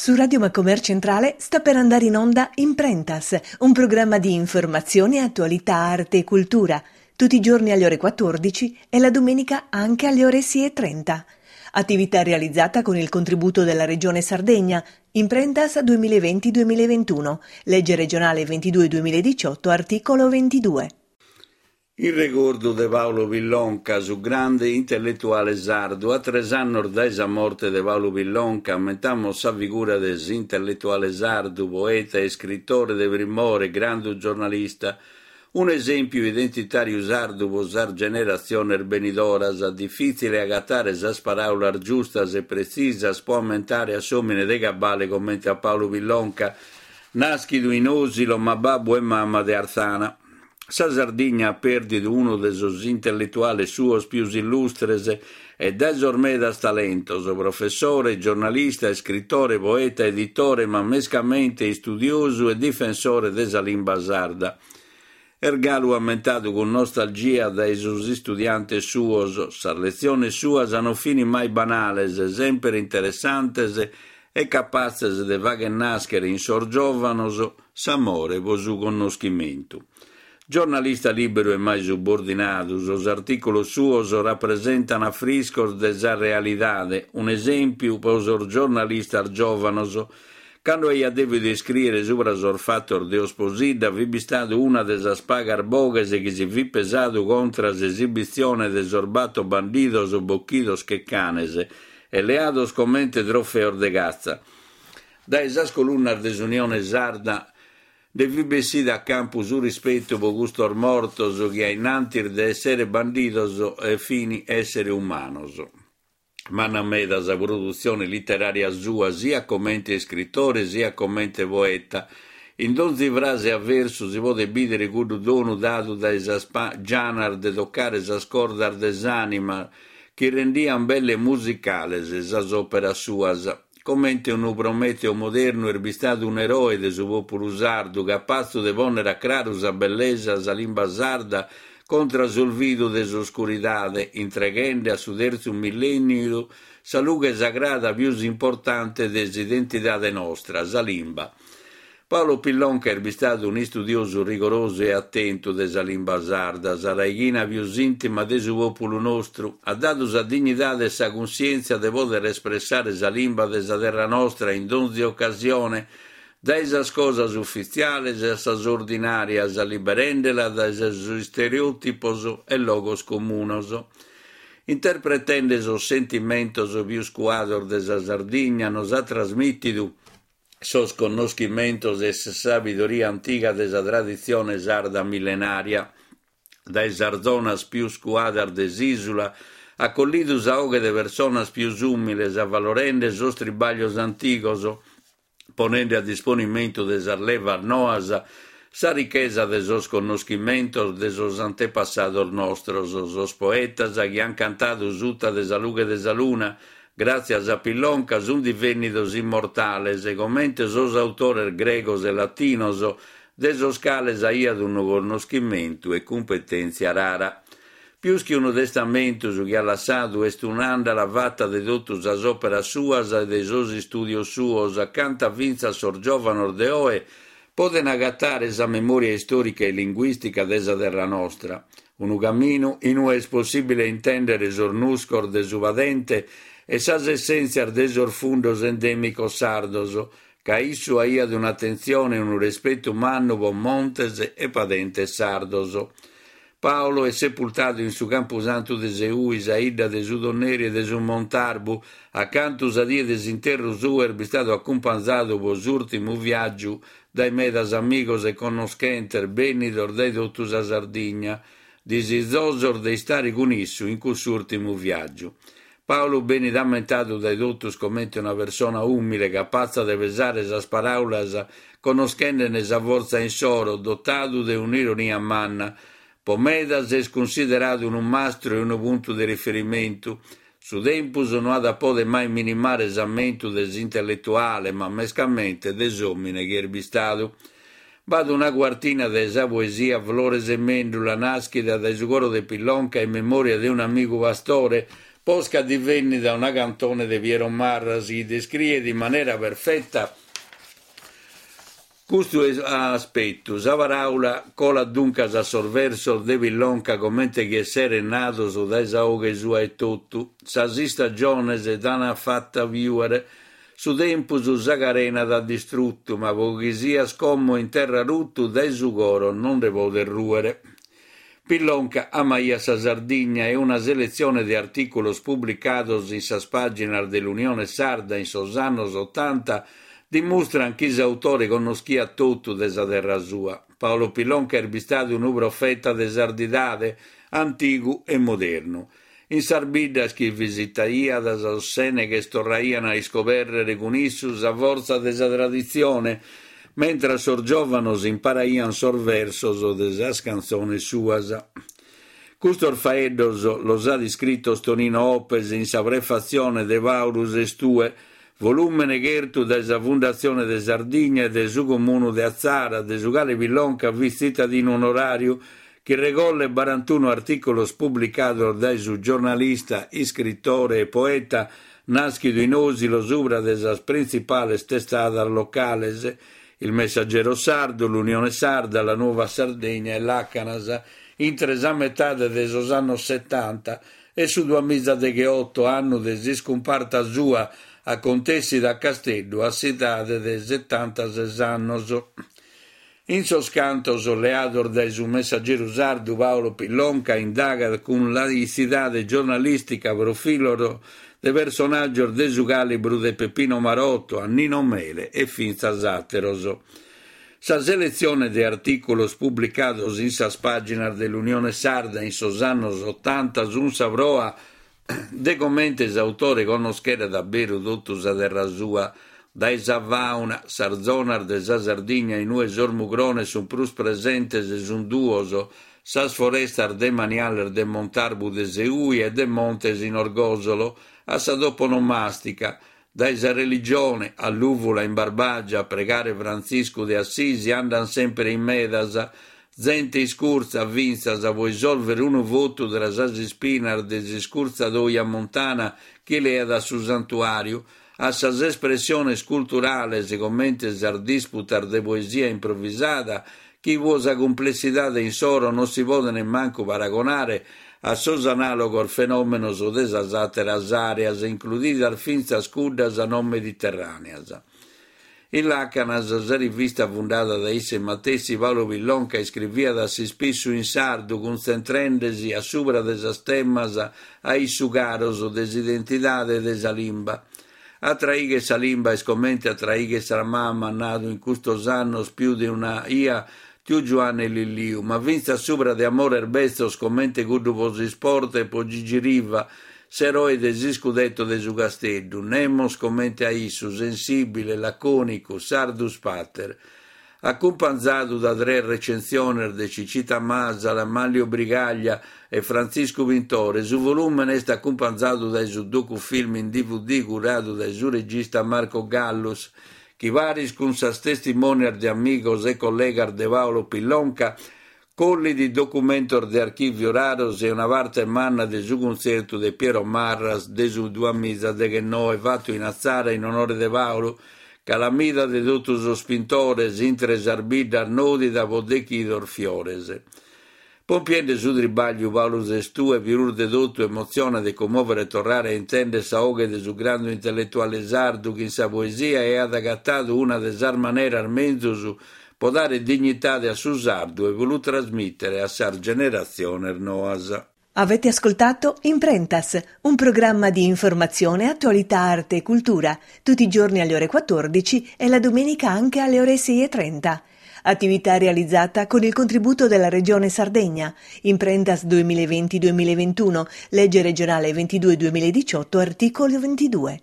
Su Radio Macomer Centrale sta per andare in onda Imprentas, un programma di informazione, attualità, arte e cultura, tutti i giorni alle ore 14 e la domenica anche alle ore 6.30. Attività realizzata con il contributo della Regione Sardegna, Imprentas 2020-2021, legge regionale 22-2018, articolo 22. In regordu de Paolo Pillonca, su grande intelletuale sardu, a tres annos dae sa morte de Paulu Pillonca ammentamos sa figura de s'intelletuale sardu, poeta e iscritore de primore, grandu giornalista, un'esèmpiu identitàriu sardu pro sas generatziones benidoras, difìtzile agatare sas paràulas giustas e pretzisas pro ammentare a s'òmine de cabale comente a Paulu Pillonca, nàschidu in Osilo ma babbu e mama de Àrthana. Sa Sardigna at pèrdidu unu de sos intelletuales suos pius illustres e dae sos medas talentos, professore, giornalista, iscritore, poeta, editore, ma mescamente istudiosu e difensore de sa limba sarda. Est galu ammentadu cun nostalgia dae sos istudiantes suos, sas letziones suas non fin mai banales, semper interessantes e capatzes de fagher nàschere in sos giòvanos s'amore pro su connoschimentu. Giornalista lìberu e mai subordinadu, sos artìculos suos rapresentan afriscos de sa realidade, un'esèmpiu pro sos giornalistas giòvanos. Cando aiat dèvidu iscrìere subra sos fatos de Osposidda fit bistadu una de sas pagas boghes chi si fit pesadu contra s'esibitzione de sos bator bandidos bochidos che canes e leados comente trofeos de catza. Dae sas colunnas de s'Unione Sarda nde fit bessida a campu su rispetu pro custos mortos chi a innantis de èssere bandidos fin èssere umanos. Manna meda sa produtzione literària sua siat comente iscritore siat comente poeta. In donzi frase a versu si podet bìdere cuddu donu dadu dae sas gianas de tocare sas cordas de s'ànima chi rendian belle musicales sas òperas suas. Comente unu Prometeo modernu est bistadu un'eroe de su pòpulu sardu, capatzu de pònnere a craru sa bellesa sa limba sarda contra s'olvidu de s'oscuridade, intreghende a su tertzu millènniu sa lughe sagrada pius importante de s'identidade nostra, sa limba. Paolo Pillonca est bistadu un'istudiosu rigorosu e atentu de sa limba sarda, sa raighina pius ìntima de su pòpulu nostru. At dadu sa dignidade e sa cunsièntzia de pòdere espressare sa limba de sa terra nostra in donzi ocasione, dae sas cosas ufitziales a sas ordinàrias, liberende·la dae sos istereòtipos e logos comunos. Interpretende sos sentimentos pius cuados de sa Sardigna nos at trasmìtidu sos connoschimentos e sa sabidoria antiga de sa traditzione sarda millenària. Dae sas zonas pius cuadas de s'ìsula at collidu sa 'oghe de personas pius ùmiles avalorende sos tribaglios antigos, ponende a disponimentu de sas levas noas sa richesa de sos connoschimentos de sos antepassados nostros, sos poetas chi an cantadu suta de sa lughe de sa luna, Gràtzias a Pillonca sunt divènnidos immortales, comente sos autores gregos e latinos, de sos cales aiat unu connoschimentu e cumpetèntzia rara. Pius chi unu testamentu su chi at lassadu est un'àndala fata de totu sas òperas suas e de sos istùdios suos, acanta fintzas sos giòvanos de oe Poden agatare sa memòria istòrica e linguìstica de sa terra nostra, unu caminu in ue est possìbile intèndere sos nuscos de su padente e sas essèntzias de sos fundos endèmicos sardos, ca issu aiat un'atentzione e unu respetu mannu pro montes e padentes sardos. Paolo est sepultadu in su Campusantu de Seui, sa 'idda de su Tonneri e de su Montarbu, acantu sa die de s'interru suo est bistadu acumpanzadu pro s'ùrtimu viàgiu dae medas amigos e connoschentes bènnidos dae totu sa Sardigna, disizosos de istare cun issu in cuss'ùrtimu viàgiu. Paolo benit ammentadu dae totus comente una persona ùmile, capatza de pesare sas paràulas connoschende·ne sa fortza insoro, dotadu de un'ironia manna. Po medas est cunsideradu unu mastru e unu puntu de riferimentu. Su tempus no at a poder mai minimare s'ammentu de s'intelletuale, ma mescamente de s'òmine chi est bistadu. B'at una cuartina de sa poesia Flores e Mendula, nàschida dae su coro de Pillonca in memòria de un'amigu pastore. posca divènnida una cantone de Piero Marras chi descriet in manera perfeta Custu aspetu, sa paràula colat duncas a sos versos de Pillonca comente chi esserent nados dae sa 'oghe sua etotu. Sas istagiones t'an fata piùere, su tempus sa carena t'at distrutu, ma pro chi sias como in terra rutu dae su coro non nde podes rùere. Pillonca amaiat sa Sardigna e una seletzione de artìculos publicados in sas pàginas de L'Unione Sarda in sos annos otanta dimustran chi s'autore connoschiat totu de sa terra sua. Paolo Pillonca est bistadu unu profeta de sardidade, antigu e modernu. In sas biddas chi visitaiat sos sèneghes torraian a iscobèrrere cun issu sa fortza de sa traditzione, mentras sos giòvanos imparaian sos versos de sas cantzones suas. Custos faeddos los at iscritos Tonino Oppes in sa prefatzione de Pàulu ses tue, volùmene chertu dae sa Fundatzione de Sardigna e de su Comunu de Atzara, de su cale Pillonca fit tzitadinu onoràriu, chi regollet barantunu artìculos publicados dae su giornalista, iscritore e poeta nàschidu in Osilo subra de sas printzipales testadas locales, Il Messaggero Sardo, L'Unione Sarda, La Nuova Sardegna e Làcanas, intre sa metade de sos annos setanta e su duamizadegheoto, annu de s'iscumparta sua acontèssida a Casteddu a s'edade de setantases annos. In sos cantos leados dae su Messageru Sardu Paolo Pillonca indagat cun laitzidade giornalìstica profilos de personàgios de su càlibru de Peppino Marotto a Nino Mele e fintzas àteros. Sa seletzione de artìculos publicados in sas pàginas de L'Unione Sarda in sos annos otanta sunt sa proa de comente s'autore connoscheret a beru totu sa terra sua, dae sa fàuna, sas zonas de sa Sardigna in ue sos mugrones sunt prus presentes sunt duos, sas forestas demaniales de Montarbu de Seui e de Montes in Orgòsolo, a sa toponomàstica, dae sa religione, a Lùvula in Barbàgia a pregare Frantziscu de Assisi andan semper in medas, zente iscurtza fintzas pro isòlvere unu votu tra sas ispinas de s'iscurtzadoia montana chi leat a su santuàriu, a sas espressiones culturales comente sas disputas de poesia improvisada chi pro sa cumplessidade insoro non si podent mancu paragonare a sos anàlogos fenòmenos de sas àteras àreas, includidas fintzas cuddas non mediterràneas. In Làcanas, sa rivista fundada dae isse matessi, Paolo Pillonca iscriviat a s'ispissu in sardu, cuntzentrende-si a subra de sas temas a issu caros de s'identidade e de sa limba. A traigher sa limba est comente a traigher sa mama, at nadu in custos annos pius de una 'ia tiu Giuanne Lilliu, ma fintzas subra de amores betzos comente cuddu pro s'isport e pro Gigi Riva, s'eroe de s'iscudetto de su Casteddu, nemos comente a issu, sensìbile, lacònicu, sardus pater. Acumpanzadu da tres recensiones de Cicita Masala, Manlio Brigaglia e Frantziscu Pintore, su volùmene est acumpanzadu dae su docufilm in dvd curadu dae su regista Marco Gallus, chi paris cun sas testimonias de amigos e collegas de Paolo Pillonca, collit documentos de archìviu raros e una parte manna de su cuntzertu de Piero Marras de su duamizadeghennoe fatu in Atzara in onore de Paolo, calamida de totu sos pintores intre sas biddas nòdida pro dechidos fiores. Pompiende su tribagliu Paulu ses tue pius de totu emotzionat e cummovet torrare a intender sa 'oghe de su grandu intelletuale sardu chi in sa poesia aiat agatadu una de sas maneras menzus pro dare dignitade a su sardu e pro lu trasmìtere a sas generatziones noas. Avete ascoltato Imprentas, un programma di informazione, attualità, arte e cultura, tutti i giorni alle ore 14 e la domenica anche alle ore 6.30. Attività realizzata con il contributo della Regione Sardegna. Imprentas 2020-2021, legge regionale 22-2018, articolo 22.